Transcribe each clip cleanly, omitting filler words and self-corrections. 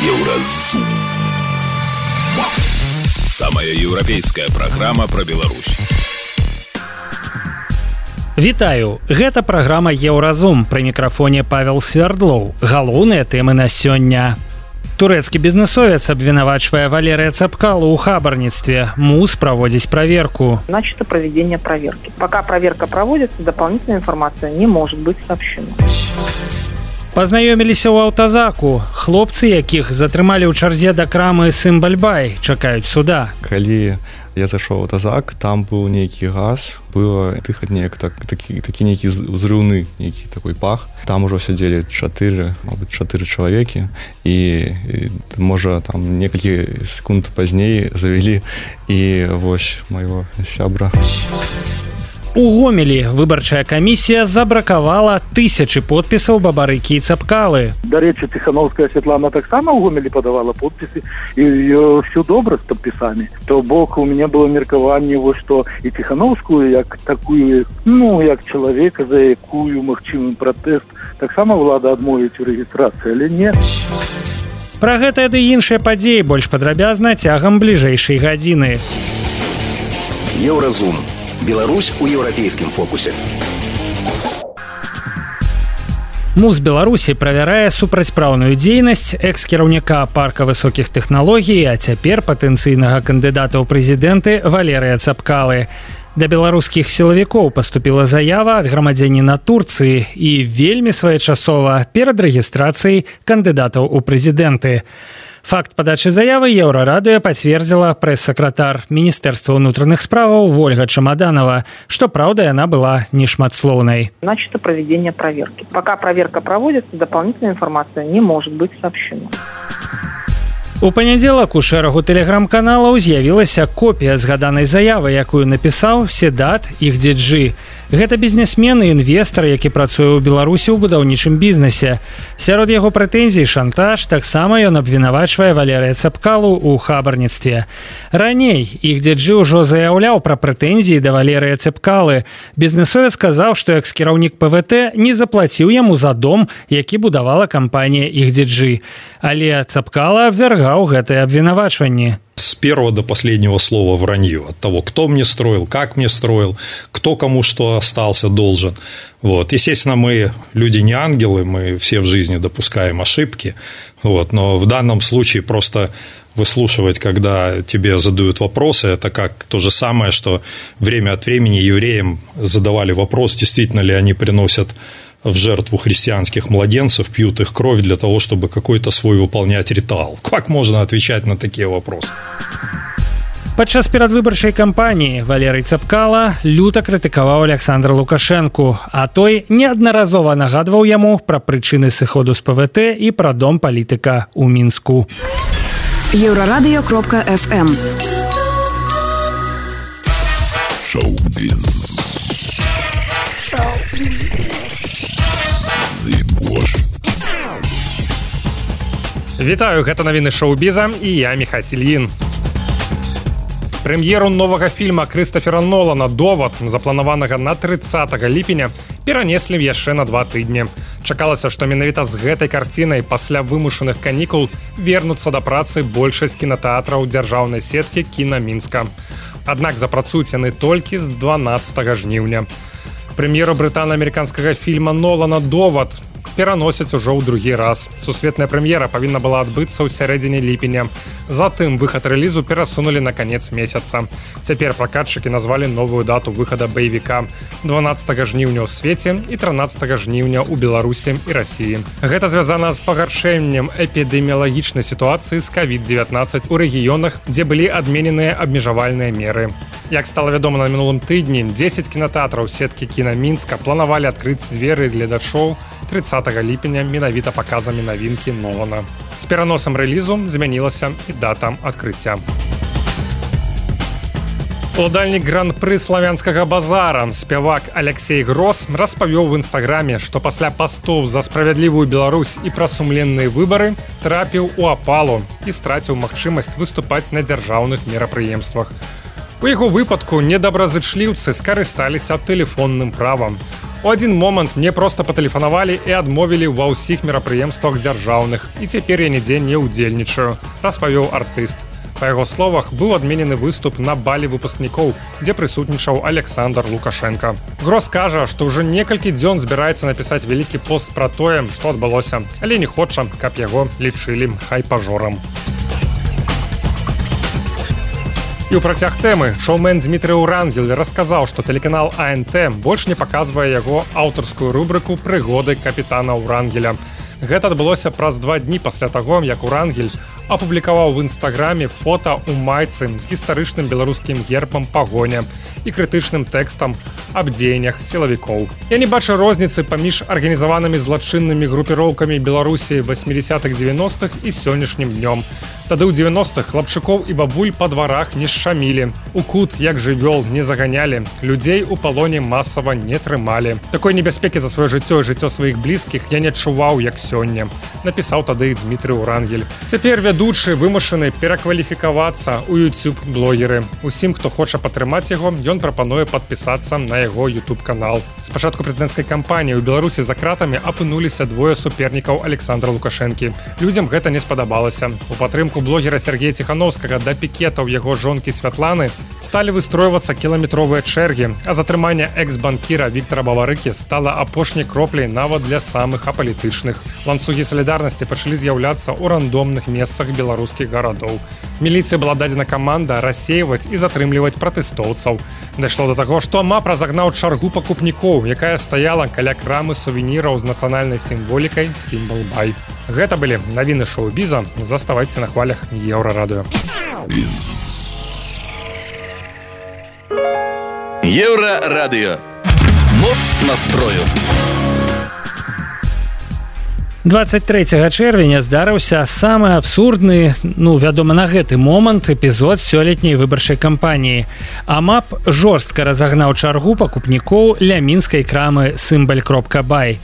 Еўразум. Самая еўрапейская праграма пра Беларусь. Вітаю, гэта праграма Еўразум, пры мікрафоне Павел Свердлоў. Галоўныя тэмы на сёння. Турэцкі бізнесовец абвінавачвае Валерыя Цапкалу ў хабарніцтве. МУЗ проводить проверку. Начато проведение проверки. Пока проверка проводится, дополнительная информация не может быть сообщена. Пазнаёміліся ў аўтазаку. Хлопцы, якіх затрымалі ў чарзе да крамы Сымбальбай, чакаюць суда. Калі я зайшоў у аўтазак, там быў нейкі газ, было дыхаць неяк такі нейкі ўзрыўны, нейкі такой пах. Там ужо сядзелі 4 чалавекі, і можа там некалькі секунд пазней завялі і вось майго сябра. У Гомелі выбарчая камісія забракавала тысячы подпісаў Бабарыкі і Цапкалы. Дарэчы, Ціхановская Святлана таксама ў Гомелі падавала подпісы, і ўсё добра з падпісамі. То бок у мяне было меркаванне, што і Ціхановскую, як такую, як чалавека, за якую магчымы пратэст, таксама ўлада адмовіць у рэгістрацыі, але не. Пра гэтыя ды іншыя падзеі больш падрабязна цягам бліжэйшай гадзіны. Еўразум. Беларусь у еўрапейскім фокусе. МУЗ Беларусі правярае супрацьпраўную дзейнасць экс-кіраўніка парка высокіх тэхналогій, а цяпер патэнцыйнага кандыдата ў прэзідэнты Валерыя Цапкалы. Да беларускіх сілавікоў паступіла заява ад грамадзяніна Турцыі і вельмі своечасова перад рэгістрацыяй кандыдатаў у прэзідэнты. Факт падачы заявы Еўрарадыё пацвердзіла прэс-сакратар Міністэрства ўнутраных справаў Вольга Чамаданова, што, праўда, яна была нешматслоўнай. Начато проведение проверки. Пока проверка проводится, дополнительная информация не может быть сообщена. У панядзелак у шэрагу тэлеграм-каналаў з'явілася копія згаданай заявы, якую напісаў Седат Ихдиджи. Гэта бізнесмен і інвестар, які працуе ў Беларусі ў будаўнічым бізнесе. Сярод яго прэтэнзій шантаж, таксама ён абвінавачвае Валерыя Цапкалу ў хабарніцтве. Раней Ихдиджи ўжо заяўляў пра прэтэнзіі да Валерыя Цапкалы. Бізнесовец сказаў, што экс-кіраўнік ПВТ не заплаціў яму за дом, які будавала кампанія Ихдиджи. Але Цапкала абвяргаў гэтыя абвінавачванні. С первого до последнего слова вранье. От того, кто мне строил, как мне строил, кто кому что остался должен. Естественно, мы люди не ангелы, мы все в жизни допускаем ошибки. Но в данном случае просто выслушивать, когда тебе задают вопросы, это как то же самое, что время от времени евреям задавали вопрос, действительно ли они приносят в жертву христианских младенцев, пьют их кровь для того, чтобы какой-то свой выполнять ритуал. Как можно отвечать на такие вопросы? Падчас перадвыбарчай кампаніі Валерый Цапкала люта крытыкаваў Александра Лукашэнку, а той неаднаразова нагадваў яму пра прычыны сыходу з ПВТ і пра дом палітыка ў Мінску. Еўрарадыё.фм Шоу-біз. Вітаю, гэта навіны шоу-біза і я Міхась Ільін. Прэм'еру новага фільма Крыстафера Нолана «Довад», запланаванага на 30 ліпеня, перанеслі яшчэ на 2 тыдні. Чакалася, што менавіта з гэтай карцінай пасля вымушаных канікул вернуцца да працы большасць кінатэатраў дзяржаўнай сеткі «Кіна Мінска». Аднак запрацуюць яны толькі з 12 жніўня. Прэм'еру брытана-амерыканскага фільма Нолана «Довад» пераносяць ужо ў другі раз. Сусветная прэм'ера павінна была адбыцца ў сярэдзіне ліпеня. Затым выхад рэлізу перасунулі на канец месяца. Цяпер пракатчыкі назвалі новую дату выхада баевіка 12 жніўня ў свеце і 13 жніўня ў Беларусі і Расіі. Гэта звязана з пагаршэннем эпідэміялагічнай сітуацыі з COVID-19 у рэгіёнах, дзе былі адмененыя абмежавальныя меры. Як стала вядома на мінулым тыдні, 10 кінатэатраў сеткі «Кіна Мінска» планавалі адкрыць дзверы гледачоў 30 ліпеня менавіта паказамі навінкі Нолана. З пераносам рэлізу змянілася і дата адкрыцця. Уладальнік гран-пры славянскага базара, спявак Алексей Грос распавёў в інстаграме, што пасля пастоў за справядлівую Беларусь і пра сумленныя выбары трапіў у апалу і страціў магчымасць выступаць на дзяржаўных мерапрыемствах. У яго выпадку недобразычліўцы скарысталіся тэлефонным правам. У адзін момант мне проста патэлефанавалі і адмовілі ва ўсіх мерапрыемствах дзяржаўных, і цяпер я нідзе не ўдзельнічаю, распавёў артыст. Па яго словах, быў адменены выступ на балі выпускнікоў, дзе прысутнічаў Александр Лукашенко. Грос кажа, што ўжо некалькі дзён збіраецца напісаць вялікі пост пра тое, што адбылося, але не хоча, каб яго лічылі хайпажорам. І ў працяг тэмы шоумен Дмітрый Урангель расказаў, што тэлеканал АНТ больш не паказвае яго аўтарскую рубрыку «Прыгоды капітана Урангеля». Гэта адбылося праз 2 дні пасля таго, як Урангель апублікаваў в інстаграме фота ў майцы з гістарычным беларускім гербам пагоня і крытычным тэкстам аб дзеяннях сілавікоў. Я не бачу розніцы паміж арганізаванымі злачыннымі групіроўкамі Беларусі 80-х, 90-х і сённяшнім днём. Тады ў 90-х хлапчукоў і бабуль па дварах не шчамілі, у кут, як жывёл, не заганялі, людзей у палоне масава не трымалі. Такой небяспекі за сваё жыццё і жыццё сваіх блізкіх я не адчуваў, як сёння, напісаў тады Дмітрый Урангель. Цяпер вядучы вымушаны перакваліфікавацца ў YouTube-блогеры. Усім, хто хоча падтрымаць яго, ён прапануе падпісацца на яго YouTube-канал. Спачатку прэзідэнцкай кампаніі ў Беларусі за кратамі апынуліся 2 супернікаў Александра Лукашэнкі. Людзям гэта не спадабалася. У падтрымку блогера Сергея Ціхановскага да пікетаў яго жонкі Святланы сталі выстройвацца кіламетровыя чэргі, а затрыманне экс-банкіра Віктара Баварыкі стала апошняй кропляй нават для самых апалітычных. Ланцугі салідарнасці пачалі з'яўляцца ў рандомных месцах беларускіх гарадоў. Міліцыі была дадзена каманда рассейваць і затрымліваць пратэстоўцаў. Дайшло да таго, што МАП разагнаў чаргу пакупнікоў, якая стаяла каля крамы сувеніраў з нацыянальнай сімволікай «Сімвал-бай». Гэта былі навіны шоу-біза. Заставайце на хвалях Еўрарадыё. Еўрарадыё. Моц настрою. 23 чэрвеня здарыўся самы абсурдны, вядома, на гэты момант эпізод сёлетняй выбарчай кампаніі. АМАП жорстка разагнаў чаргу пакупнікоў ля мінскай крамы «Сімбаль.бай».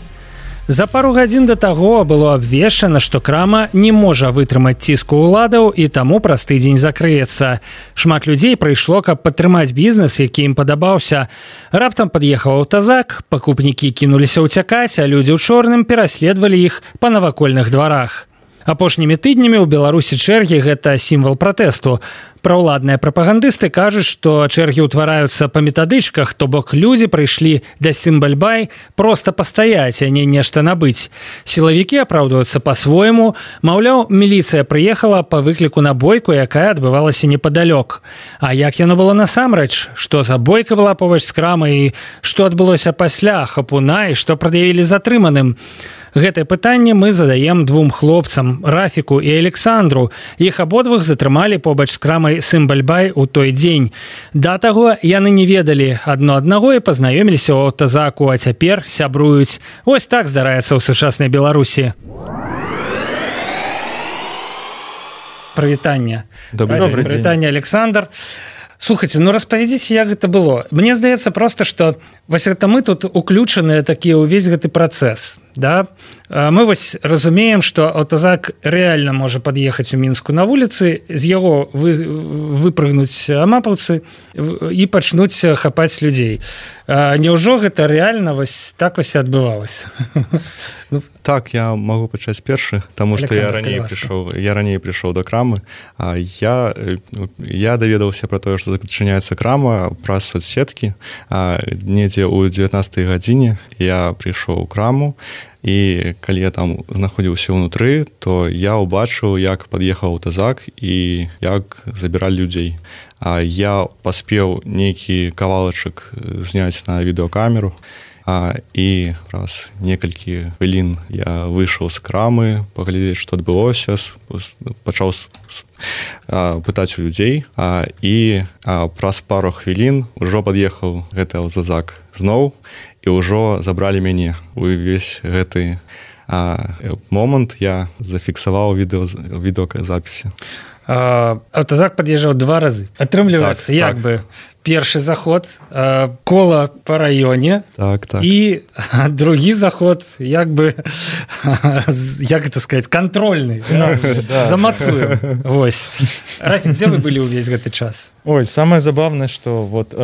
За пару гадзін да таго было абвешчана, што крама не можа вытрымаць ціску ўладаў і таму праз тыдзень закрыецца. Шмат людзей прыйшло, каб падтрымаць бізнес, які ім падабаўся. Раптам пад'ехаў аўтазак, пакупнікі кінуліся ўцякаць, а людзі ў чорным пераследавалі іх па навакольных дварах. Апошнімі тыднямі ў Беларусі чэргі – гэта сімвал пратэсту. Праўладныя прапагандысты кажуць, што чэргі ўтвараюцца па метадычках, то бок людзі прыйшлі да Сімбаль.бай проста пастаяць, а не нешта набыць. Сілавікі апраўдваюцца па-свойму, маўляў, міліцыя прыехала па выкліку на бойку, якая адбывалася непадалёк. А як яно было насамрэч? Што за бойка была побач з крамай і што адбылося пасля хапуна і што прад'явілі затрыманым? Гэтае пытанне мы задаем 2 хлопцам, Рафіку і Александру. Іх абодвух затрымалі побач з крамай «Сімбаль.бай» у той дзень. Да таго яны не ведалі адно аднаго і пазнаёміліся ў аўтазаку, а цяпер сябруюць. Вось так здараецца ў сучаснай Беларусі. Прывітанне. Добрый день. Прывітанне, Александр. Слухайте, распавядзіце, як гэта было. Мне здаецца проста, што вось гэта мы тут уключаныя такія ўвесь гэты працэс. Да? Мы вось разумеем, што аўтазак рэальна можа пад'ехаць у Мінску на вуліцы, з яго выпрыгнуць амапаўцы і пачнуць хапаць людзей. Няўжо гэта рэальна вось так вось адбывалася? Так, я могу пачаць першы, таму што я раней прыйшоў да крамы. Я даведаўся пра тое, што зачыняецца крама праз соцсеткі. Недзе ў 19-й гадзіне я прыйшоў у краму, і калі я там знаходзіўся ўнутры, то я ўбачыў, як пад'ехаў аўтазак і як забіралі людзей. Я паспеў нейкі кавалачак зняць на відэакамеру, і праз некалькі хвілін я выйшаў з крамы, паглядзець, што адбылося, пачаў пытаць у людзей, і праз пару хвілін ужо пад'ехаў гэты аўтазак зноў, і ўжо забралі мяне. Увесь гэты момант я зафіксаваў відэозапісе. Аўтазак пад'язджаў 2 разы. Атрымліваецца, як бы першы заход, кола па раёне, Так. і другі заход, як бы, як это сказать, контрольны, замацуем. Вось. Рафик, где вы были увесь гэты час? Ой, самое забавное, что вот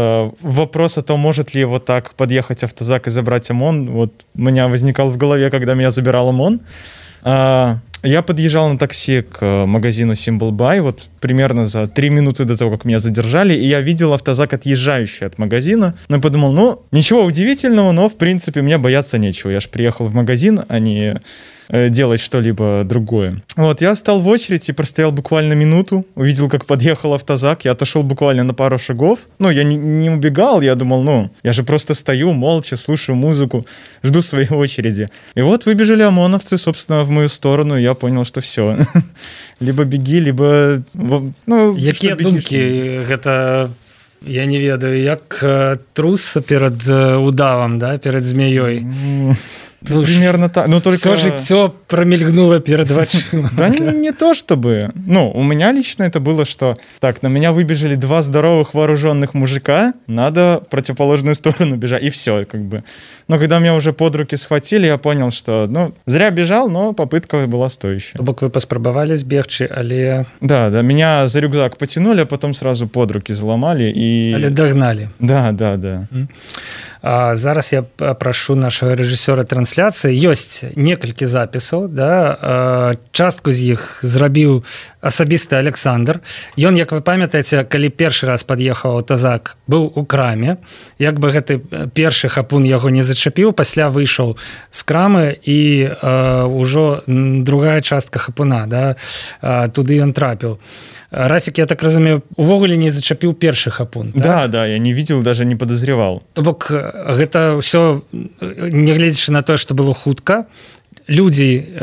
вопрос о том, может ли вот так подъехать автозак и забрать ОМОН, вот у меня возникал в голове, когда меня забирал ОМОН. Я подъезжал на такси к магазину Symbol Buy, вот примерно за 3 минуты до того, как меня задержали, и я видел автозак, отъезжающий от магазина. Но я подумал, ну, ничего удивительного, но, в принципе, мне бояться нечего. Я же приехал в магазин, а не делать что-либо другое. Вот, я стал в очередь и простоял буквально минуту, увидел, как подъехал автозак, я отошел буквально на пару шагов. Ну, я не убегал, я думал, ну, я же просто стою молча, слушаю музыку, жду своей очереди. И вот выбежали ОМОНовцы, собственно, в мою сторону, и я понял, что все. Либо беги, либо... Ну, якія думкі гэта, я не ведаю, як трус перед удавом, да, перед змеёй? Ну, примерно так. Но только... Все жыццё промельгнуло перед вачыма. Да не то чтобы. Ну, у меня лично это было, что так, на меня выбежали 2 здоровых вооруженных мужика, надо в противоположную сторону бежать, и все, как бы. Но когда меня уже под руки схватили, я понял, что, ну, зря бежал, но попытка была стоящая. То бок вы паспрабавалі збегчы, але... Да, меня за рюкзак потянули, а потом сразу под руки заломали и... Але догнали. Да. Зараз я прашу нашага рэжысёра трансляцыі. Ёсць некалькі запісаў, да? Частку з іх зрабіў асабісты Александр. Ён, як вы памятаеце, калі першы раз пад'ехаў аўтазак, быў у краме. Як бы гэты першы хапун яго не зачапіў, пасля выйшаў з крамы і ўжо другая частка хапуна, да? Туды ён трапіў. Рафик, я так разумею, увогуле не зачапіў першы хапун. Да, я не видел, даже не подозревал. То бок гэта ўсё, нягледзячы на тое, што было хутка, людзі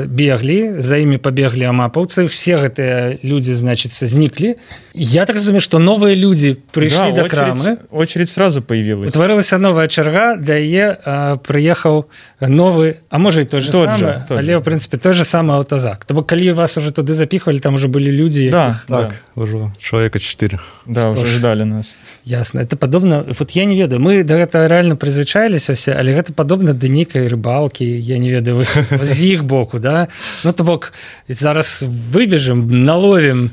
беглі, за імі пабеглі амапаўцы, все гэтыя людзі, значыцца, зніклі. Я так разумею, што новыя людзі прыйшлі да крамы. Очередь сразу появилась. Утварылася новая чарга, да яе прыехаў новы, а можа і той же самы, але, в прынцыпе, той же самы аўтазак. То бок, калі вас уже туды запіхвалі, там уже былі людзі... Да, ўжо чалавека 4. Да, уже ждали нас. Ясно. Это падобна... Вот я не ведаю, мы да гэта реально прызвычаіліся ўсе, але гэта падобна да нейкай рыбалкі, я не ведаю, з іх боку, да? Ну, то бок, зараз выбежым, наловім,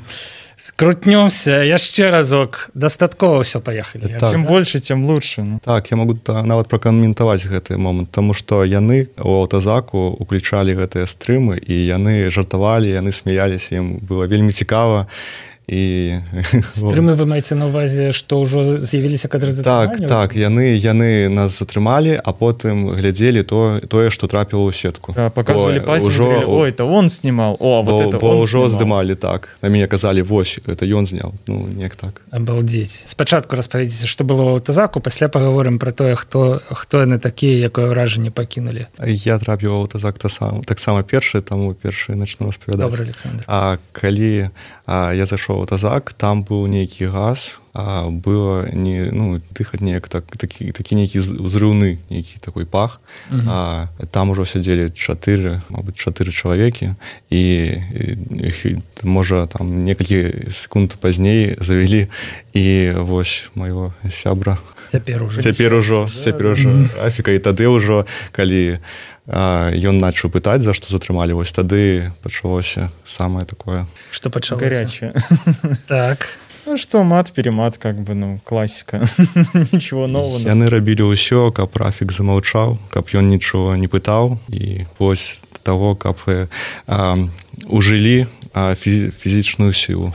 крутнёмся, яшчэ разок, дастаткова ўсё, паехалі. Так. Чым больше, тем лучше. Ну. Так, я могу нават пракаментаваць гэты момант, таму што яны у аўтазаку уключалі гэтыя стрымы, і яны жартавалі, яны смяяліся, ім было вельмі цікава. І стрымы вы маеце на ўвазе, што ўжо з'явіліся кадры затрымання? Так, яны нас затрымалі, а потым глядзелі тое, што трапіла ў сетку. Да, показывали пальцем, говорили, ой, это он снимал, о, вот это он ўжо снимал. здымалі, так. На мяне казалі, вось, это ён зняў. Ну, неяк так. Абалдзець. Спачатку распавядзіце, што было ў аўтазаку, пасля пагаворым пра тое, хто яны такія, якое ўражанне пакінулі. Я трапіў у аўтазак таксама першы, таму першы начну распавядаць. Добра, Александр. А калі я зайшоў у аўтазак, там быў нейкі газ, было дыхаць неяк такі нейкі ўзрыўны нейкі такой пах. Там ужо сядзелі 4 чалавекі, і можа там некалькі секунд пазней завялі, і вось майго сябра цяпер ужо Рафіка, і тады ўжо калі ён начаў пытаць, за што затрымалі, вось тады пачалося самае такое. Што пачалося? Горячее. Так. Ну что, мат-перемат, как бы, ну, классика. Ничего нового. Яны рабілі ўсё, каб Рафік замаўчаў, каб ён нічого не пытаў, і вось таго, каб ужылі фізічную сілу.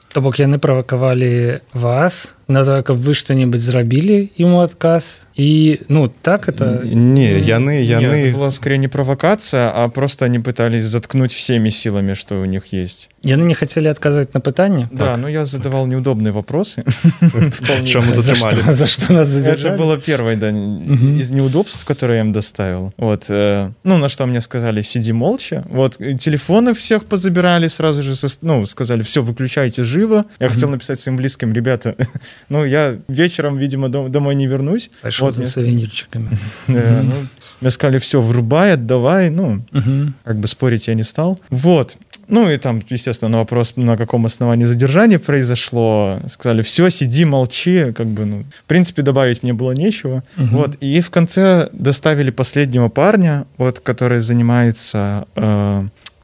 То бок яны правакавалі вас на тое, каб вы што-небудзь зрабілі ему адказ, и, ну, так это... Не, яны... Нет, это была скорее не провокация, а просто они пытались заткнуть всеми силами, что у них есть. Яны не хотели отказывать на пытанне? Да, но я задавал неудобные вопросы. Чему затрымали? За что нас задержали? Это было первое, да, из неудобств, которые я им доставил. Вот, ну, на что мне сказали, сиди молча. Вот, телефоны всех позабирали сразу же, ну, сказали, все, выключайте живо. Я хотел написать своим близким, ребята, ну, я вечером, видимо, домой не вернусь. Пошел за сувенирчиками. Мне сказали, все, врубай, отдавай, ну, как бы спорить я не стал. Вот. Ну и там, естественно, на вопрос, на каком основании задержание произошло, сказали, все, сиди, молчи, как бы, ну, в принципе, добавить мне было нечего. Вот, и в конце доставили последнего парня, вот, который занимается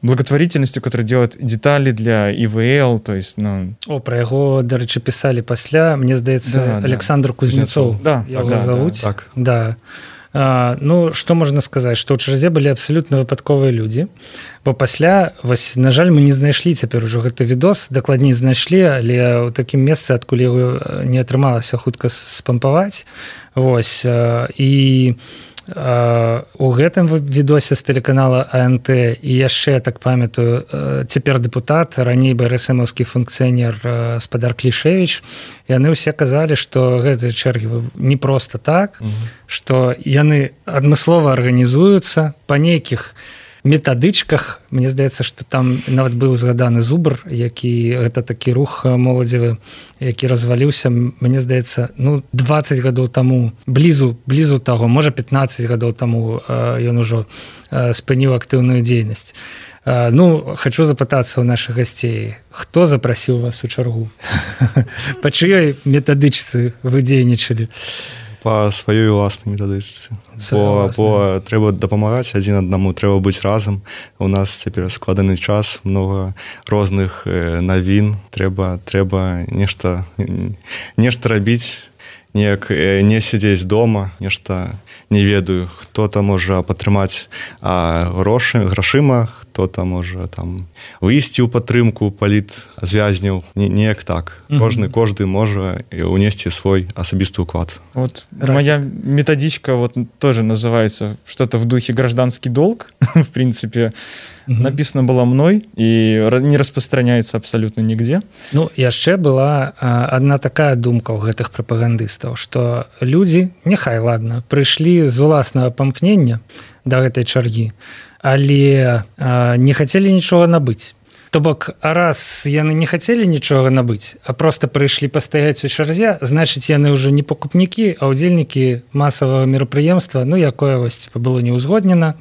благотворительностью, который делает детали для ИВЛ, то есть, ну... Про яго, дарэчы, пісалі пасля, мне здаецца, Александр Кузнецов. Да, яго завуць. Так. Да. Ну, што можна сказаць, што ў чарзе былі абсалютна выпадковыя людзі, бо пасля, вось, на жаль, мы не знайшлі цяпер ужо гэты відос, дакладней знайшлі, але ў такім месцы, адкуль яго не атрымалася хутка спампаваць. Вось, і у гэтым відосе з тэлеканала АНТ і яшчэ, так памятаю, цяпер дэпутат, раней БРСМаўскі функцыянер спадар Клішевіч, яны ўсе казалі, што гэтыя чэргі не проста так, што яны адмыслова арганізуюцца па нейкіх метадычках. Мне здаецца, што там нават быў згаданы Зубр, які гэта такі рух моладзевы, які разваліўся, мне здаецца, ну, 20 гадоў таму, блізу таго, можа 15 гадоў таму ён ужо спыніў актыўную дзейнасць. Ну, хочу запытацца ў нашых гасцей, хто запрасіў вас у чаргу? Па чыёй метадычцы вы дзейнічалі? Па сваёй уласнай метадычцы. Бо трэба дапамагаць адзін аднаму, трэба быць разам. У нас цяпер складаны час, многа розных навін, трэба нешта рабіць, неяк не сядзець дома, нешта не ведаю, хто-то можа падтрымаць грашыма, хто-то можа там выйсці ў падтрымку палітзвязняў, неяк так. Кожны можа унесці свой асабісты ўклад. Вот моя методичка вот тоже называется что-то в духе «Гражданский долг», в принципе, написано было мной и не распространяется абсолютно нигде. Ну, яшчэ была одна такая думка ў гэтых прапагандыстаў, што людзі, няхай, ладно, прыйшлі з уласнага памкнення да гэтай чаргі, але не хацелі нічога набыць. То бок, раз яны не хацелі нічога набыць, а проста прыйшлі пастаяць у чарзе, значыць, яны ўжо не пакупнікі, а ўдзельнікі масавага мерапрыемства, ну, якое вось было не ўзгоднена.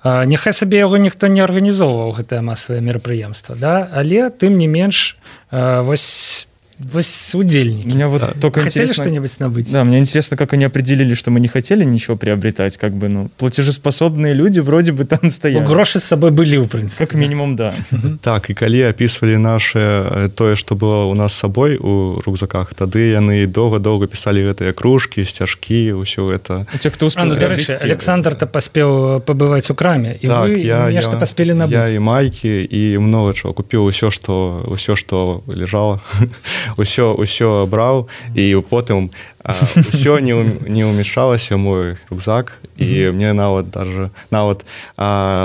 Няхай сабе яго ніхто не арганізоўваў, гэтае масавае мерапрыемства, да? Але, тым не менш, вось удельники. Меня вот только хотели интересно, что-нибудь набыть? Да, мне интересно, как они определили, что мы не хотели ничего приобретать, как бы, ну, платежеспособные люди вроде бы там стояли. Ну, гроши с собой были, в принципе. Как минимум, да. Так, и калі описывали наше, тое, что было у нас с собой у рюкзаках, тады яны долго писали гэтыя кружки, сцяжки, ўсё это. Те, кто успел приобрести. Александр-то поспел побывать у краме, и так, вы нечто поспели набыть. Я и майки, и много чего купил, ўсё, что лежало. Усё браў і потым усё не ўмяшчалася мой рюкзак і мне нават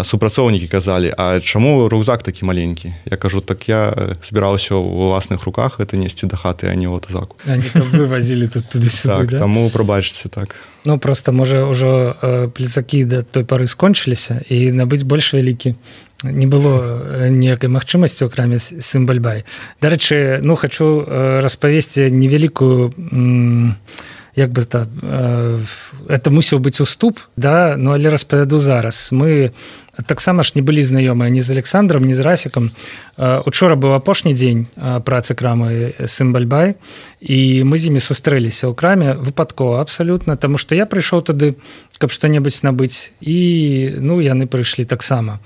супрацоўнікі казалі, а чаму рюкзак такі маленькі? Я кажу, так я збіраўся ў уласных руках гэта несці да хаты, а не ў тазаку. Вы вазілі тут туды-сюды, так, да? Таму прабачце, так. Ну, просто, можа, ўжо пляцакі да той пары скончыліся і набыць больш вялікі не было ніякай магчымасці ў краме Сымбальбай. Дарэчы, ну, хачу распавесці невялікую, як бы это мусіў быць уступ, да, ну, але распавяду зараз. Мы таксама ж не былі знаёмыя ні з Александром, ні з Рафікам. Учора быў апошні дзень працы крамы Сымбальбай, і мы з імі сустрэліся ў краме выпадкова абсалютна, таму што я прыйшоў туды, каб што-небудзь набыць, і, ну, яны прыйшлі таксама.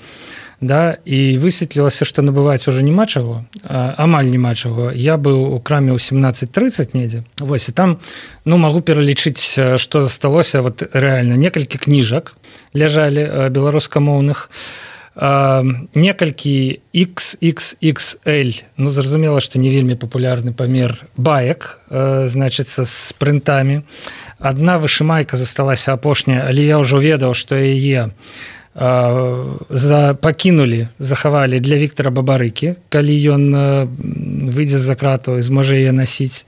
Да, і высветлілася, што набываць ужо няма чаго, амаль няма чаго. Я быў у краме ў 17:30 недзе. Вось, і там, ну, магу пералічыць, што засталося, вот рэальна, некалькі кніжак ляжалі беларускамоўных, некалькі XXXL, ну, зразумела, што не вельмі папулярны памер баек, значыцца, з прынтамі. Адна вышымайка засталася апошняя, але я ўжо ведаў, што яе пакінулі, захавалі для Віктара Бабарыкі, калі ён выйдзе з-за крату і зможа яе насіць.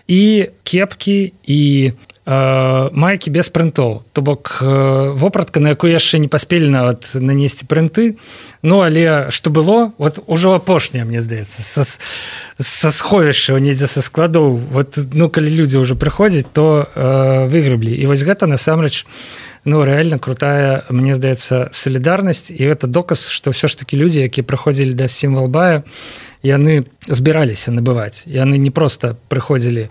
І кепкі, і майкі без прынтоў. То бок вопратка, на якую яшчэ не паспелі нават нанесці прынты, ну, але што было, вот ужо апошняе, мне здаецца, са сховішча, недзе са складоў. Вот, ну, калі людзі ўжо прыходзяць, то выграблі. І вось гэта, насамрэч, ну рэальна крутая, мне здаецца, салідарнасць, і гэта доказ, што ўсё ж такі людзі, якія прыходзілі да Сімвалбая, яны збіраліся набываць. Яны не проста прыходзілі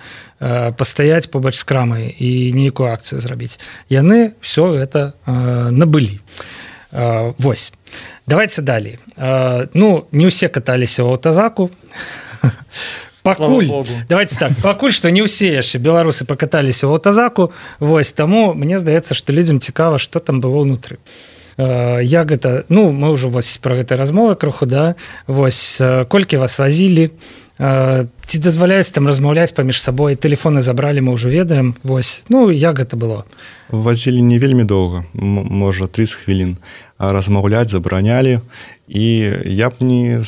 пастаяць побач з крамай і нейкую акцыю зрабіць. Яны ўсё гэта набылі. Вось. Давайте далей. Ну, не ўсе каталіся ў аўтазаку. Пакуль, давайте так, пакуль што не ўсе яшчэ беларусы пакаталіся ў аўтазаку, вось, таму мне здаецца, што людзям цікава, што там было ўнутры. Як гэта, ну, мы ўжо вось пра гэтай размовы крыху, да, вось, колькі вас вазілі, ці дазваляюць там размаўляць паміж сабой, тэлефоны забралі, мы ўжо ведаем, вось, ну, як гэта было? Вазілі не вельмі доўга, можа 30 хвілін, а размаўляць забаранялі, і я б не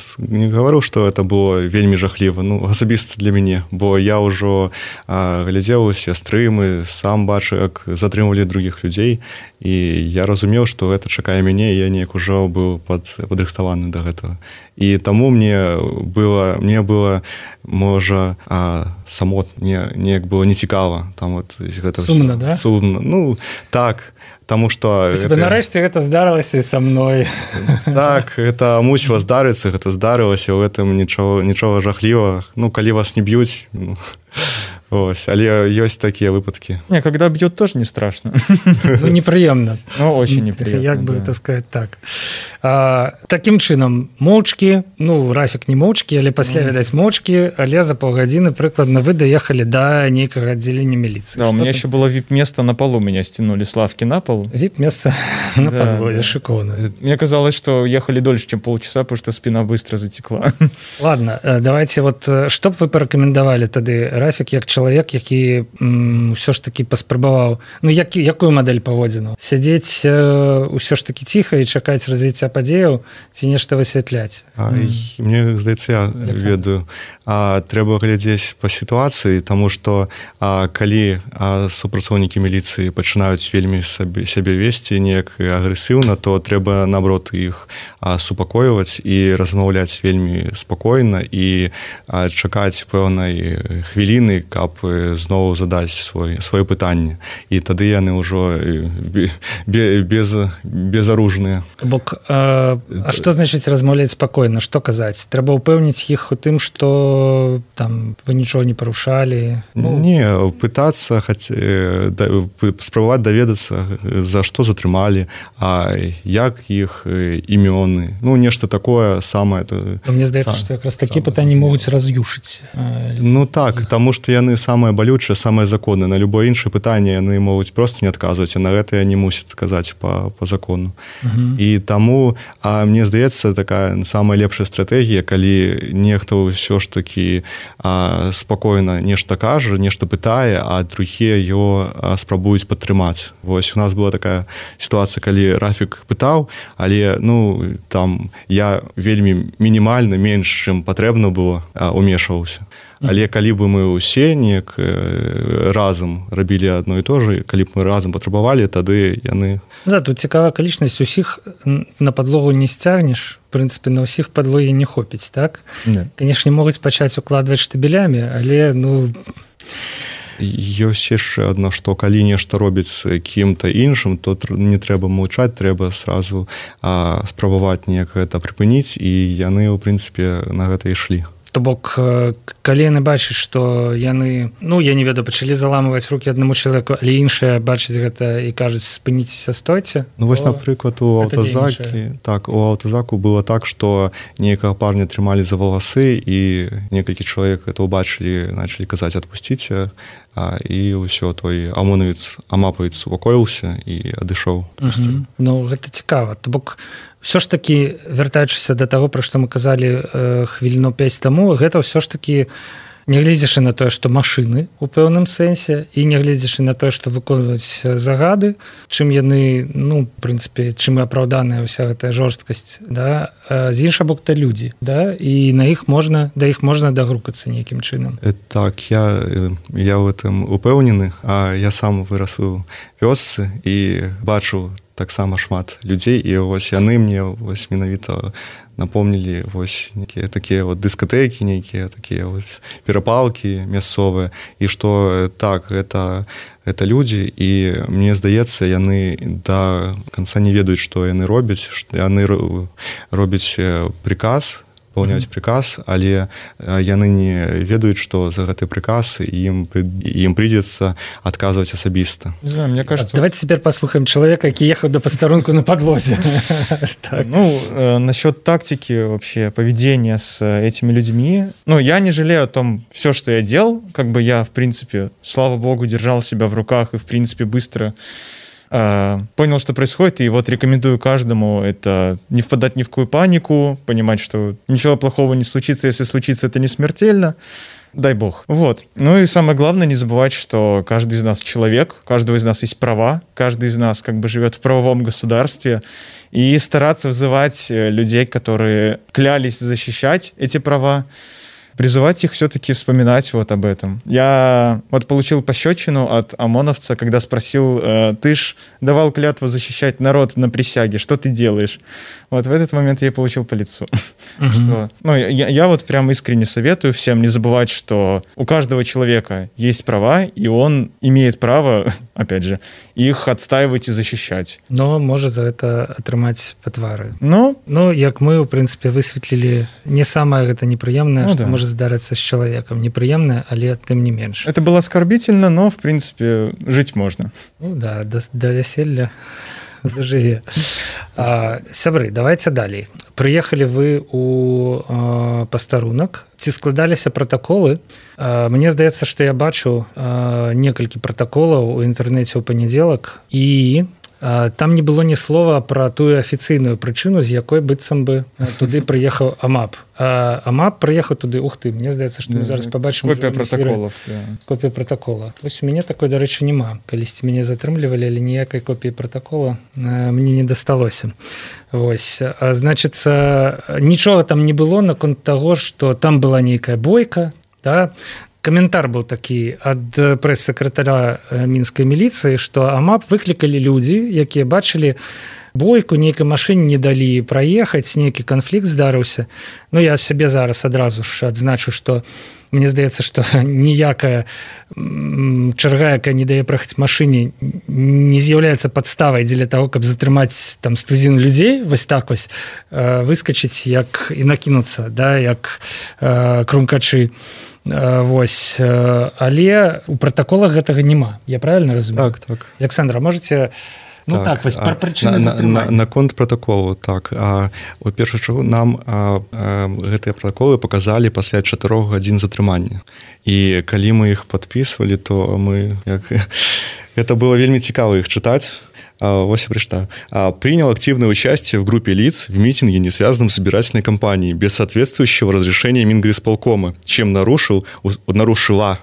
гаварыў, што это было вельмі жахліва, ну, асабіста для мяне, бо я ўжо глядзеў усе стрымы, сам бачу, як затрымвалі другіх людзей, і я разумеў, што гэта чакае мяне, і я неяк ужо быў падрыхтаваны да гэтага. І таму мне было можа, неяк было нецікава, там вот гэта сумна, да? Сумна, ну, так, таму што... Нарэшце гэта здарылася і са мной. Так, гэта мусіла здарыцца, гэта здарылася, у гэтым нічога жахлівага. Ну, калі вас не б'юць, ну, ось, але ёсць такія выпадкі. Не, когда бьют, тоже не страшно. Ну, непрыемна. Ну, очень неприемно. Як бы это сказать так. Такім чынам, моўчкі, ну, Рафік не моўчкі, але пасля, відаць, моўчкі, але за паўгадзіны, прыкладна, вы доехали до некага аддзялення міліцыі. Да, у меня еще было вип-место на полу, меня стянули с лавки на пол. Вип-место на подводе, шикарно. Мне казалось, что ехали дольше, чем полчаса, потому что спина быстро затекла. Ладно, давайте вот, что б вы порекомендовали тады, Рафік, як чалавек, які ўсё ж таки паспрабаваў, ну, якую мадэль паводзіну? Сядзець ўсё ж таки ціха і чакаць развіцця падзеяў ці нешта высвятляць? Мне здаецца, я ведаю. Трэба глядзець па сітуацыі, таму што калі супрацоўнікі міліцыі пачынаюць вельмі сябе весці неяк агрэсіўна, то трэба, наоборот, іх супакойваць і размаўляць вельмі спакойна і чакаць пэўнай хвіліны, каб зноў задаць сваё пытанне. І тады яны ўжо безаружныя. Бок, а што значыць размаўляць спакойна? Што казаць? Трэба ўпэўніць іх у тым, што там вы нічога не парушалі? Не, пытацца, спрабаваць даведацца, за што затрымалі, а як іх імёны. Ну, нешта такое самае. Мне здаецца, што якраз такі пытанні могуць раз'юшыць. Ну так, таму што яны самае балючае, самае законнае. На любое іншае пытанне яны могуць проста не адказваць, а на гэта яны мусяць казаць па закону. І таму, мне здаецца, такая самая лепшая стратэгія, калі нехта ўсё ж такі спакойна нешта кажа, нешта пытае, а другія его спрабуюць падтрымаць. Вось у нас была такая сітуацыя, калі Рафік пытаў, але, ну, там я вельмі мінімальна, менш, чым патрэбна было, умешваўся. Але калі бы мы ўсе неяк разам рабілі адно і то же, калі б мы разам патрабавалі, тады яны... Да, тут цікавая акалічнасць, усіх на падлогу не сцягнеш, в прынцыпе, на ўсіх падлогі не хопіць, так? Канешне, могуць пачаць укладваць штабелямі, але, ну... Ёсць яшчэ адно, што калі нешта робіць кім-то іншым, то не трэба маўчаць, трэба сразу спрабаваць неяк гэта прыпыніць, і яны, у прынцыпе, на гэта ішлі. То бок, калі яны бачаць, што яны, ну, я не ведаю, пачалі заламываць рукі аднаму чалавеку, але іншыя бачаць гэта і кажуць, спыніцеся, стойце. Ну, вось, напрыклад, у аўтазаку было так, што нейкага парня трымалі за валасы, і некалькі чалавек гэта ўбачылі, началі казаць, адпусціце, і ўсё, той амапавец супакоіўся і адышоў. Ну, гэта цікава. То бок, ўсё ж такі, вяртаючыся да таго, пра што мы казалі хвіліну 5 таму, гэта ўсё ж такі, нягледзячы на тое, што машыны у пэўным сэнсе, і нягледзячы на тое, што выконваюць загады, чым яны, ну, в прынцыпе, чым і апраўданая ўся гэтая жорсткасць, да, з іншага боку, людзі, да, і да іх можна дагрукацца нейкім чынам. Так, я ў гэтым упэўнены, а я сам вырас у вёсцы і бачу таксама шмат людзей, і вось яны мне вось менавіта напомнілі вось некія такія вот дыскатэкі, нейкія такія вось перапалкі мясцовыя, і што так, гэта людзі, і мне здаецца, яны да канца не ведаюць, што яны робяць, што яны робяць приказ, выполняюць приказ, але яны не ведаюць, што за гэты приказ ім придется адказваць асабіста. Не знаю, мне кажется... Давайте теперь послухаем человека, который ехал до постарунку на подвозе. Ну, насчет тактики вообще поведения с этими людьми, ну, я не жалею о том, все, что я делал, как бы я, в принципе, слава богу, держал себя в руках и, в принципе, быстро понял, что происходит, и вот рекомендую каждому это не впадать ни в какую панику, понимать, что ничего плохого не случится, если случится, это не смертельно, дай бог. Вот. Ну и самое главное, не забывать, что каждый из нас человек, у каждого из нас есть права, каждый из нас как бы живет в правовом государстве, и стараться вызывать людей, которые клялись защищать эти права, призывать их все-таки вспоминать вот об этом. Я вот получил пощечину от ОМОНовца, когда спросил, ты ж давал клятву защищать народ на присяге, что ты делаешь? Вот в этот момент я получил по лицу. Что, ну, я вот прям искренне советую всем не забывать, что у каждого человека есть права, и он имеет право, опять же, их отстаивать и защищать. Но может за это атрымаць па твары. Ну, як мы, в принципе, высветлілі, не самое гэта непрыемнае, что может здарыцца с человеком. Непрыемнае, але тым не менш. Это было оскорбительно, но, в принципе, жить можно. Ну да, до веселья зажыве. Сябры, давайте далей. Прыехалі вы у пастарунак, ці складаліся пратаколы? Мне здаецца, што я бачу некалькі пратаколаў у інтэрнэце ў панядзелак, і там не было ні слова пра тую афіцыйную прычыну, з якой быццам бы туды прыехаў АМАП. АМАП прыехаў туды, ух ты, мне здаецца, што мы зараз пабачым копія пратаколаў. Копія пратакола. Вось у мяне такой, дарэчы, няма. Калісьці мяне затрымлівалі, але ніякай копіі пратакола мне не дасталося. Вось. Значыцца, нічога там не было наконт таго, што там была нейкая бойка, да? Каментар быў такі ад прэс-сакратара мінскай міліцыі, што АМАП выклікалі людзі, якія бачылі бойку, нейкай машыне не далі праехаць, нейкі канфлікт здарыўся. Ну, я сябе зараз адразу ж адзначу, што мне здаецца, што ніякая чарга, якая не дае праехаць машыне, не з'яўляецца падставай дзеля таго, каб затрымаць там стузін людзей, вось так вось выскачыць як і накінуцца, да, як крумкачы. Вось, але у пратаколах гэтага няма. Я правильно разумею? Так. Александра, можете... Ну так, вось пра прычыны затрымання. Наконт пратаколу, так. У першую чаргу нам гэтыя пратаколы паказалі пасля 4 гадзін затрымання. І калі мы іх падпісвалі, то мы... Это было вельмі цікава іх чытаць. Вось я прочитаю. Принял активное участие в группе лиц в митинге, не связанном с избирательной кампанией, без соответствующего разрешения Мингрисполкома, чем нарушила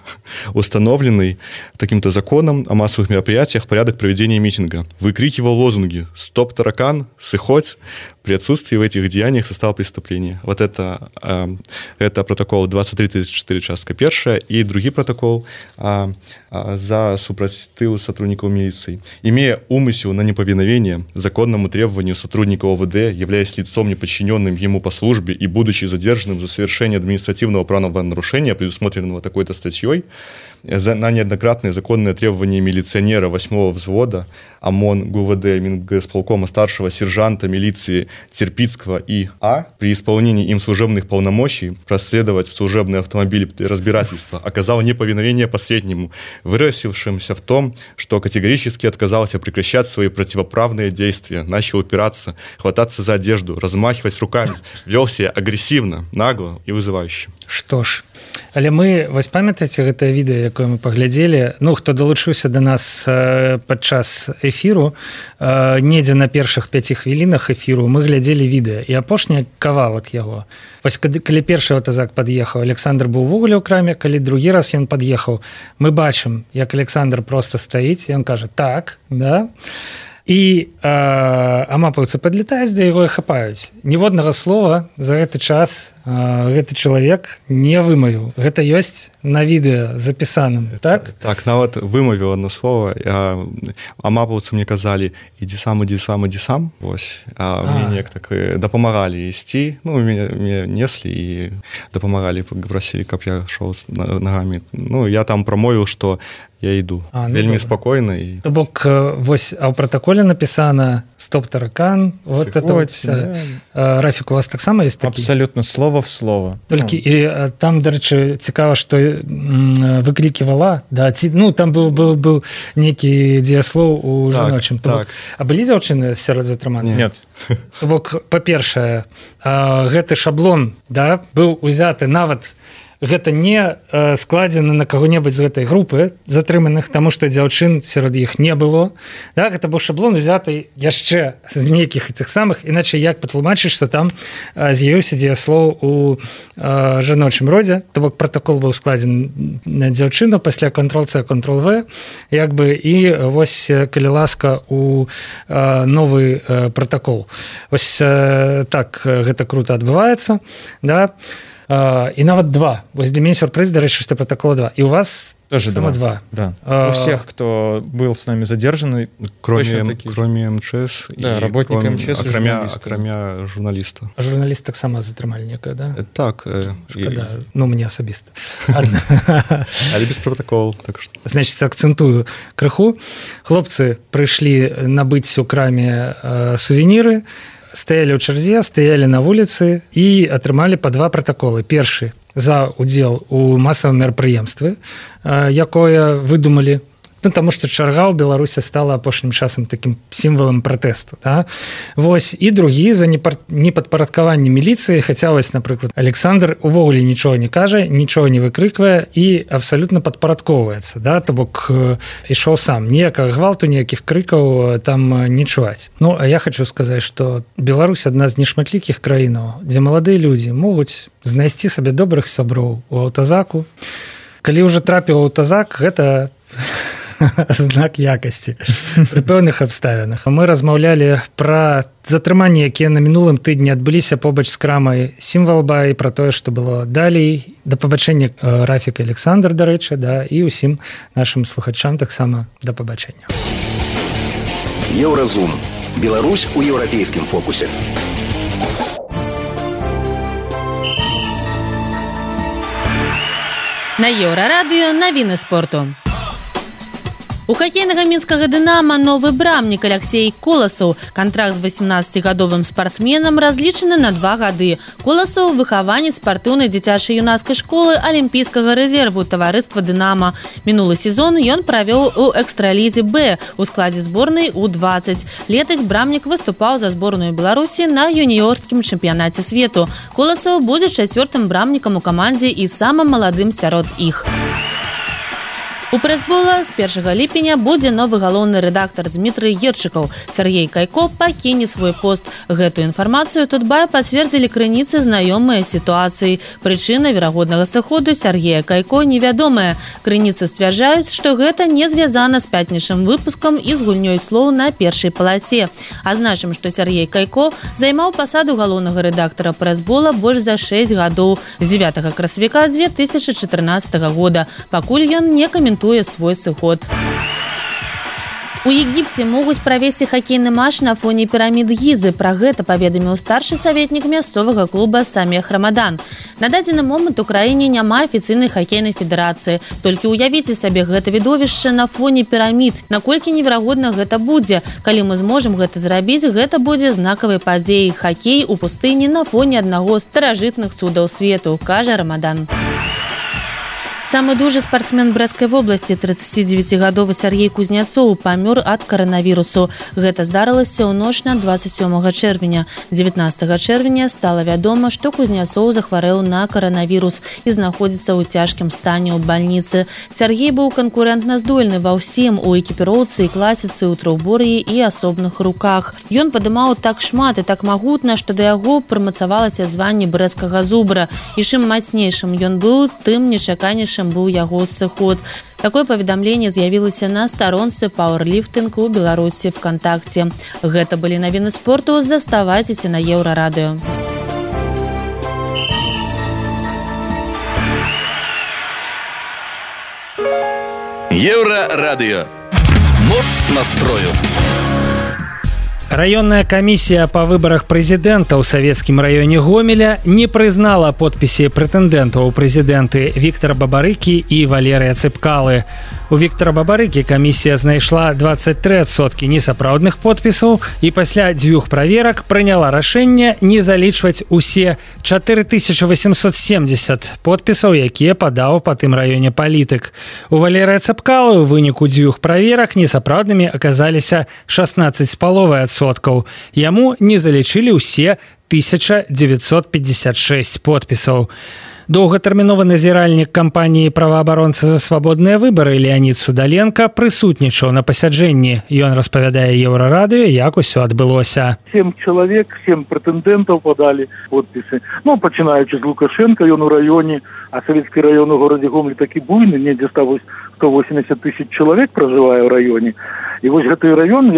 установленный таким-то законом о массовых мероприятиях порядок проведения митинга. Выкрикивал лозунги «Стоп, таракан! Сыхоть!» при отсутствии в этих деяниях состава преступления. Вот это протокол 2334, частка 1, и другой протокол за супротив сотрудников милиции. Имея умысел на неповиновение законному требованию сотрудника ОВД, являясь лицом, неподчиненным ему по службе и будучи задержанным за совершение административного правонарушения, предусмотренного такой-то статьей, на неоднократные законные требования милиционера 8-го взвода ОМОН ГУВД Мингрисполкома старшего сержанта милиции Терпицкого И.А. при исполнении им служебных полномочий проследовать в служебный автомобиль разбирательства оказал неповиновение последнему, выразившимся в том, что категорически отказался прекращать свои противоправные действия, начал упираться, хвататься за одежду, размахивать руками, вел себя агрессивно, нагло и вызывающе. Што ж, але мы, вось памятаеце гэтае відэа, якое мы паглядзелі, ну, хто далучыўся да нас падчас эфіру, недзе на першых 5 хвілінах эфіру мы глядзелі відэа, і апошні кавалак яго. Вось калі першы аўтазак пад'ехаў, Александр быў увогуле ў краме, калі другі раз ён пад'ехаў, мы бачым, як Александр проста стаіць, і ён кажа «так», да? і амапаўцы падлетаюць да яго і хапаюць. Ніводнага слова за гэты час гэты чалавек не вымавіў. Гэта ёсць на відэа запісаным, так? Так, нават вымавіў одно слово. Амапаўцы мне казалі, ідзі сам. Вось. А мне неяк так дапамагалі ісці. Ну, мяне неслі і дапамагалі, прасілі, каб я шоў нагамі. Ну, я там прамовіў, што я іду. Вельмі спакойна. То бок, вось, а ў пратаколе напісана «Стоп, таракан». Вот это вот вся. Рафік, у вас таксама ёсць такі? Абсолютно, слово в слово. Толькі, і там, дарэчы, цікава, што выкліківала, да, ну, там быў нейкі дзеяслоў у жаночым. Так. А былі дзяўчыны сярод затрыманых? Нет. То бок, па-першае, гэты шаблон, да, быў узяты нават, гэта не складзена на каго-небудзь з гэтай групы затрыманых, таму што дзяўчын сярод іх не было. Да, гэта быў шаблон узяты яшчэ з нейкіх тых самых, іначай як патлумачыць, што там з'явіўся дзеяслоў у жаночым родзе, то бок пратакол быў складзены на дзяўчыну, пасля Ctrl-C, Ctrl-V, як бы, і вось, калі ласка, у новы пратакол. Вось так гэта крута адбываецца, да. И нават 2. Вось для меня сюрприз, дарэчы, што протокола 2. И у вас тоже само 2. Да. У всех, кто был с нами задержан, кроме МЧС, да, работника МЧС, кроме журналиста. А журналист так само затрымалі некое, да? Так. Шкода. Ну, мне асабіста. Але без протоколу. Так что. Значит, акцентую крыху. Хлопцы прыйшлі набыць у краме сувеніры, стаялі ў чарзе, стаялі на вуліцы і атрымалі па 2 пратаколы. Першы за удзел у масавым мерапрыемстве, якое выдумалі. Ну, таму што чарга ў Беларусі стала апошнім часам такім сімвалам пратэсту. Да? Вось, і другі за непадпарадкаванне міліцыі, хаця вось, напрыклад, Александр увогуле нічога не кажа, нічога не выкрыквае і абсалютна падпарадкоўваецца. Да? То бок ішоў сам. Ніякага гвалту, ніякіх крыкаў там не чуваць. Ну, а я хочу сказаць, што Беларусь адна з нешматлікіх краінаў, дзе маладыя людзі могуць знайсці сабе добрых сяброў у аўтазаку. Калі ўжо трапіў у аўтазак, гэта знак якасці пры пэўных абставінах. Мы размаўлялі пра затрыманні, якія на мінулым тыдні адбыліся побач з крамай Сімвалба і пра тое, што было далей. Да пабачэння, Рафік, Александр, дарэчы, да, і ўсім нашым слухачам таксама да пабачэння. Еўразум. Беларусь у еўрапейскім фокусе. На Еўрарадыё навіны спорту. У хакейнага мінскага «Дынама» новы брамнік Алексей Коласаў. Кантракт з 18-гадовым спартсменам разлічаны на 2 гады. Коласаў – выхаванец спартыўнай дзіцячай юнацкай школы алімпійскага рэзерву таварыства «Дынама». Мінулы сезон ён правёў у экстралізе «Б» у складзе зборнай У-20. Летась брамнік выступаў за зборную Беларусі на юніёрскім чэмпіянаце свету. Коласаў будзе 4-м брамнікам у камандзе і самым маладым сярод іх. У прэсбола з 1 ліпеня будзе новы галоўны рэдактар Дмітрый Ерчыкаў. Сергей Кайко пакіне свой пост. Гэтую інфармацыю Тутбай пацвердзілі крыніцы знаёмыя сітуацыі. Прычына верагоднага сыходу Сергея Кайко невядомая. Крыніцы сцвярджаюць, што гэта не звязана з пятнічным выпускам і з гульнёй слоў на першай паласе. Азначым, што Сергей Кайко займаў пасаду галоўнага рэдактара прэсбола больш за 6 гадоў з 9 красавіка 2014 года. Пакуль ён не каментуе свой сыход. У Егіпце могуць правесці хакейны матч на фоне пірамід Гізы. Пра гэта паведаміў старшы саветнік мясцовага клуба Самех Рамадан. На дадзены момант у краіне няма афіцыйнай хакейнай федэрацыі. Толькі ўявіце сабе гэта відовішча на фоне пірамід. Наколькі неверагодна гэта будзе. Калі мы зможам гэта зрабіць, гэта будзе знакавай падзеяй. Хакей у пустыні на фоне аднаго з старажытных цудаў свету, кажа Рамадан. Самы дужы спартсмен Брэсцкай вобласці, 39-гадовы Сергей Кузняцоў, памёр ад каранавірусу. Гэта здарылася ў ноч на 27 чэрвеня. 19 чэрвеня стала вядома, што Кузняцоў захварэў на каранавірус і знаходзіцца ў цяжкім стане ў бальніцы. Сергей быў канкурэнтна здольны ва ўсім, у экіпіроўцы і класіцы, у трохбор'і і асобных руках. Ён падымаў так шмат і так магутна, што да яго прымацавалася званне брэсцкага зубра. І чым мацнейшым ён быў, тым нечаканейшым найбуйнейшым быў яго сыход. Такое паведамленне з'явілася на старонцы пауэрліфтынгу ў Беларусі ВКонтакце. Гэта былі навіны спорту. Заставайцеся на Еўрарадыё. Еўрарадыё. Моц настрою. Раённая камісія па выбарах прэзідэнта ў савецкім раёне Гомеля не прызнала подпісы прэтэндэнтаў у прэзідэнты Віктара Бабарыкі і Валерыя Цыпкалы. У Віктара Бабарыкі камісія знайшла 23% несапраўдных подпісаў і пасля 2 праверак прыняла рашэнне не залічваць усе 4870 подпісаў, якія падаў па тым раёне палітык. У Валерыя Цыпкалы ў выніку 2 праверак несапраўднымі аказаліся 16,5%. Яму не залічылі ўсе 1956 подпісаў. Доўгатэрміновы назіральнік кампаніі праваабаронцы за свабодныя выбары Леонид Судаленко прысутнічаў на пасяджэнні. Ён распавядае Еўрарадыё, як усё адбылося. 7 чалавек, 7 прэтэндэнтаў падалі подпісы. Пачынаючы з Лукашенко, ён у раёне, а савецкі раён у горадзе Гомель такі буйны, недзе 180 тысяч чалавек пражывае ў раёне. І вось гэты раён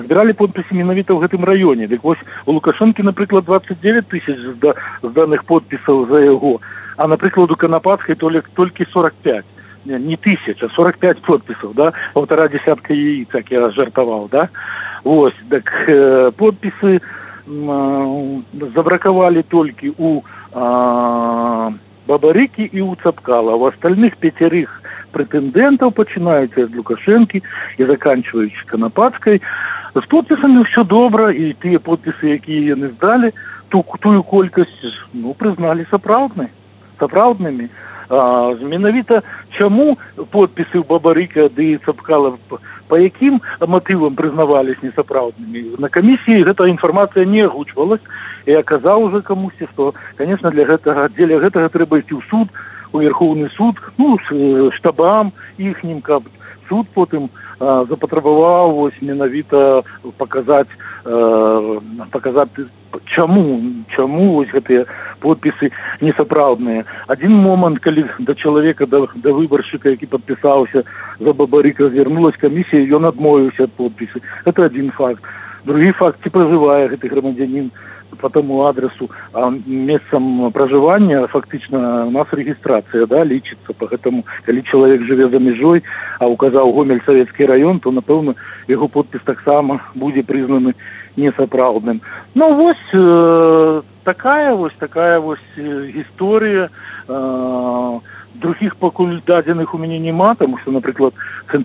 збіралі подпісы менавіта ў гэтым раёне. Дык вось у Лукашэнкі, напрыклад, 29 тысяч зданых подпісаў за яго, а, напрыклад, у Канапатскай толькі 45. Не тысяч, а 45 подпісаў, да? 1,5 десятка яиц, як я жартаваў, да? Вось, так подпісы забракавалі толькі у Бабарыкі і у Цыпкала. У астальных 5 прэтэндэнтаў, пачынаючы ад Лукашэнкі і заканчваючы Канапатскай, з подпісамі ўсё добра, і тыя подпісы, якія яны здалі, тую колькасць прызналі сапраўднымі. Менавіта чаму подпісы ў Бабарыка ды Цыпкала, па якім матывам прызнавались несапраўднымі? На камісіі гэта інфармацыя не агучвалась, і я казаў уже камусьці, што, конечно, дзеля гэтага трэба ісці ў суд, у Верховны суд, штабам іхнім, каб суд потым запатрабаваў менавіта паказаць, чаму вось гэтыя подпісы несапраўдныя. Адзін момант, калі да чалавека, да выбаршчыка, які падпісаўся за Бабарыка, звярнулась камісія, ён адмовіўся ад подпісы. Гэта адзін факт. Другі факт, ці пражывае гэты грамадзянін по тому адресу, а месцам пражывання фактычна у нас рэгістрацыя, да, лічыцца. Поэтому, калі чалавек жыве за мяжой, а указаў Гомель савецкі раён, то, напэўна, яго подпіс таксама будзе прызнаны несапраўдным. Такая гісторыя. Других пакуль дадзеных у мяне няма, тому што, напрыклад,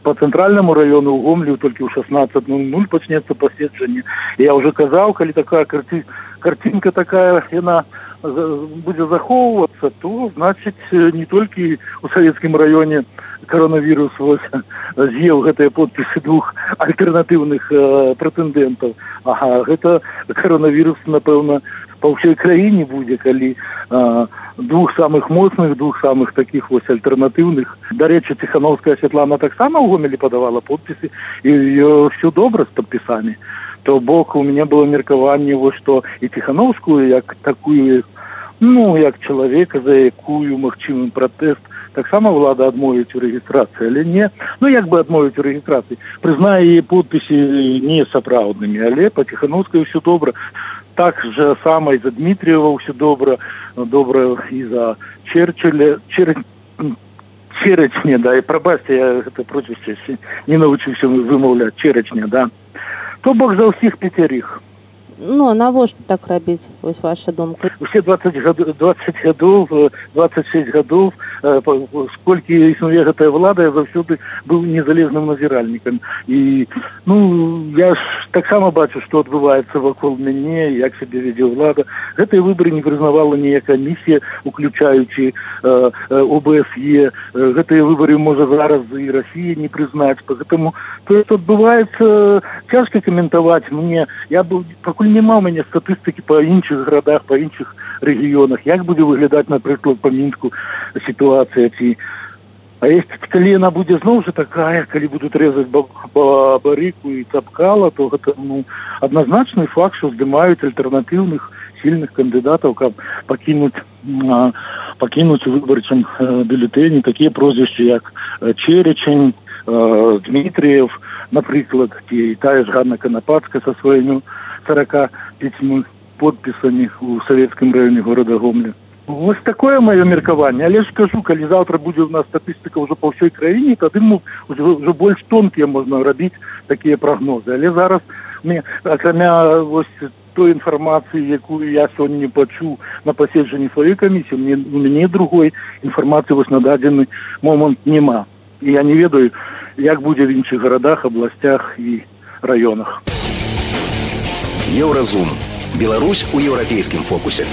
по цэнтральнаму раёну ў Гомелю толькі ў 16:00 пачнецца паседжанне. Я ўжо казаў, калі такая картинка такая, яна будзе захоўвацца, то, значыць, не толькі у савецкім раёне коронавірус з'еў гэтыя подпісы 2 альтэрнатыўных прэтэндэнтаў. Гэта коронавірус, напэўна, па ўсёй краіне будзе, калі 2 самых моцных, 2 самых таких вось альтэрнатыўных. Дарэчы, Ціхановская Святлана таксама ў Гомелі падавала подпісы, і ўсё добра з падпісамі. То бок у мяне было меркаванне, што і Ціхановскую, як такую, як чалавека, за якую магчымы пратэст, таксама ўлада адмовіць у рэгістрацыі, але не, як бы адмовіць у рэгістрацыі, прызнае яе подпісы несапраўднымі, але па Ціхановскай ўсё добра. Так же само и за Дмитриева все добро и за Черечня, да, и пробачьте, я это прозвище не научился вымовлять, Черечня, да. То бок за всех 5. Навошта так рабіць, вось ваша думка? Усе 20 гадоў, 26 гадоў, сколькі існуе гэтая влада, я заўсёды быў незалежным назіральнікам. І, я ж таксама бачу, што адбываецца вакол мяне, як сябе вядзе влада. Гэтыя выбары не прызнавала ніякая камісія, уключаючы ОБСЕ. Гэтыя выбары можа зараз і Расія не прызнаць. Поэтому то, што адбываецца, цяжка каментаваць мне. Я быў, пакуль нема ў мяне статыстыкі па іншых гарадах, па іншых рэгіёнах, як будзе выглядаць, напрыклад, па Мінску сітуацыя, ці А калі яна будзе зноў жа такая, калі будуць рэзаць барыку і цапкала, то гэта адназначны факт, што здымаюць альтэрнатыўных сильных кандыдатаў, каб пакінуць у выбарчым бюлетэні такія прозвішчы, як Черечень, Дмитриев, напрыклад, і тая ж Ганна Канапацкая са сваімі 45 подпісамі ў савецкім раёне горада Гомеля. Вось такое маё меркаванне, але ж кажу, калі заўтра будзе у нас статыстыка ўжо па ўсёй краіне, тады ўжо больш тонкія можна рабіць такія прагнозы. Але зараз акрамя вось той інфармацыі, якую я сёння пачуў на паседжанні сваёй камісіі, у мяне другой інфармацыі вось на дадзены момант няма. І я не ведаю, як будзе в іншых гарадах, абласцях і раёнах. Еўразум. Беларусь у еўрапейскім фокусе.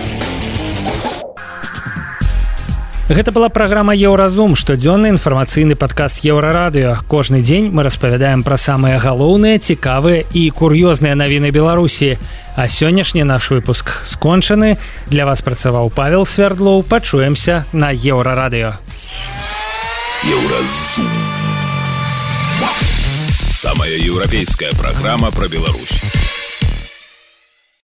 Гэта была праграма «Еўразум», штодзённы інфармацыйны падкаст Еўрарадыё. Кожны дзень мы распавядаем пра самыя галоўныя, цікавыя і кур'ёзныя навіны Беларусі. А сённяшні наш выпуск скончаны. Для вас працаваў Павел Свярдлоў. Пачуемся на Еўрарадыё. Еўразум. Самая еўрапейская праграма пра Беларусь.